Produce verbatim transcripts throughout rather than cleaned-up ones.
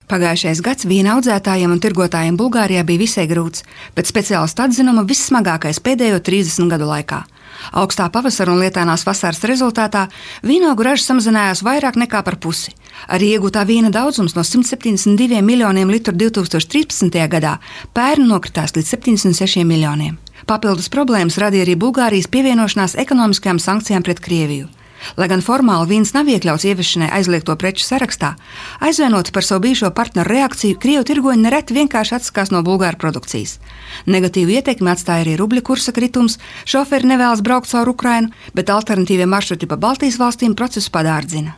Pagājušais gads vīna audzētājiem un tirgotājiem Bulgārijā bija visai grūts, pēc speciālistu atzinuma vissmagākais pēdējo trīsdesmit gadu laikā. Augstā pavasara un lietainās vasaras rezultātā vīnogu raža samazinājās vairāk nekā par pusi. Arī iegūtā vīna daudzums no simt septiņdesmit diviem miljoniem litru divs tūkstoši trīspadsmitajā gadā pērn nokritās līdz septiņdesmit sešiem miljoniem. Papildus problēmas radīja arī Bulgārijas pievienošanās ekonomiskajām sankcijām pret Krieviju. Lai gan formāli vīns nav iekļauts ieviešanai aizliegto preču sarakstā, aizvainoti par savu bijušo partneru reakciju, Krievu tirgoņi nereti vienkārši atsakās no bulgāru produkcijas. Negatīvu ietekmi atstāja arī rubļa kursa kritums, šoferi nevēlas braukt caur Ukrainu, bet alternatīvie maršruti pa Baltijas valstīm procesu padārdzina.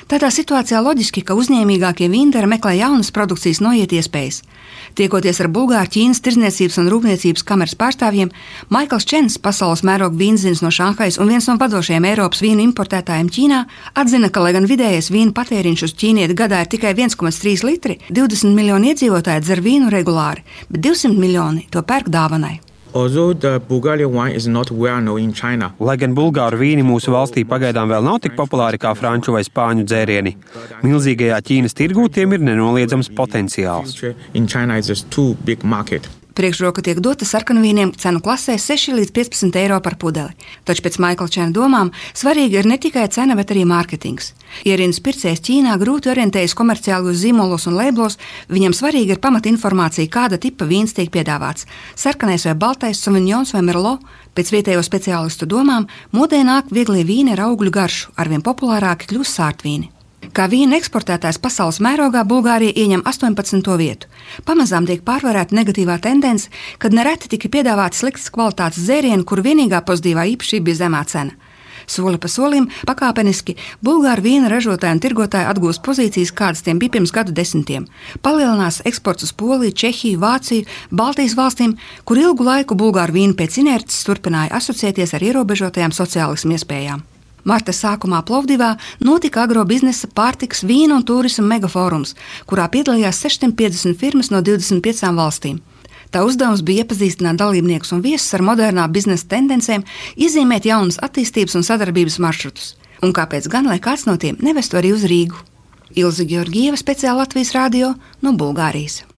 Tādā situācijā loģiski, ka uzņēmīgākie vīndari meklē jaunas produkcijas noiet iespējas. Tiekoties ar Bulgāru Ķīnas tirdzniecības un rūpniecības kameras pārstāvjiem, Maikls Čens, pasaules mēroga vīnzins no Šanhajas un viens no vadošajiem Eiropas vīnu importētājiem Ķīnā, atzina, ka, lai gan vidējais vīnu patēriņš uz ķīnieti gadā ir tikai viens komats trīs litri, divdesmit miljoni iedzīvotāji dzer vīnu regulāri, bet divsimt miljoni to pērk dāvanai. Lai gan bulgāru vīni mūsu valstī pagaidām vēl nav tik populāri kā franču vai spāņu dzērieni, milzīgajā Ķīnas tirgū tiem ir nenoliedzams potenciāls. Priekšroka tiek dota sarkanvīniem cenu klasē seši līdz piecpadsmit eiro par pudeli. Taču pēc Maikla Čena domām svarīga ir ne tikai cena, bet arī mārketings. Ierīnas pircējs Ķīnā grūti orientējas komerciālos zīmolos un lēblos, viņam svarīga ir pamatinformācija, kāda tipa vīns tiek piedāvāts. Sarkanais vai baltais, sauvignions vai merlot. Pēc vietējo speciālistu domām modē nāk vieglie vīni ar augļu garšu, arvien populārāki kļūst sārtvīni. Kā vīna eksportētājs pasaules mērogā Bulgārija ieņem astoņpadsmito vietu. Pamazām tiek pārvarēta negatīvā tendence, kad nereti tika piedāvāti sliktas kvalitātes dzērieni, kur vienīgā pozitīvā īpašība bija zemā cena. Soli pa solim, pakāpeniski, bulgāru vīna ražotāji un tirgotāji atgūst pozīcijas, kādas tiem bija pirms gadu desmitiem. Palielinās eksports uz Poliju, Čehiju, Vāciju, Baltijas valstīm, kur ilgu laiku bulgāru vīna pēc inerces turpināja asociēties ar ierobežotajām sociālismu iespējām. Marta sākumā Plovdivā notika agrobiznesa, pārtikas, vīna un turisma megafórums, kurā piedalījās sešsimt piecdesmit firmas no divdesmit piecām valstīm. Tā uzdevums bija iepazīstināt dalībniekus un viesus ar modernā biznesa tendencēm, iezīmēt jaunas attīstības un sadarbības maršrutus. Un kāpēc gan, lai kāds no tiem nevestu arī uz Rīgu? Ilze Georgieva, speciāli Latvijas radio no Bulgārijas.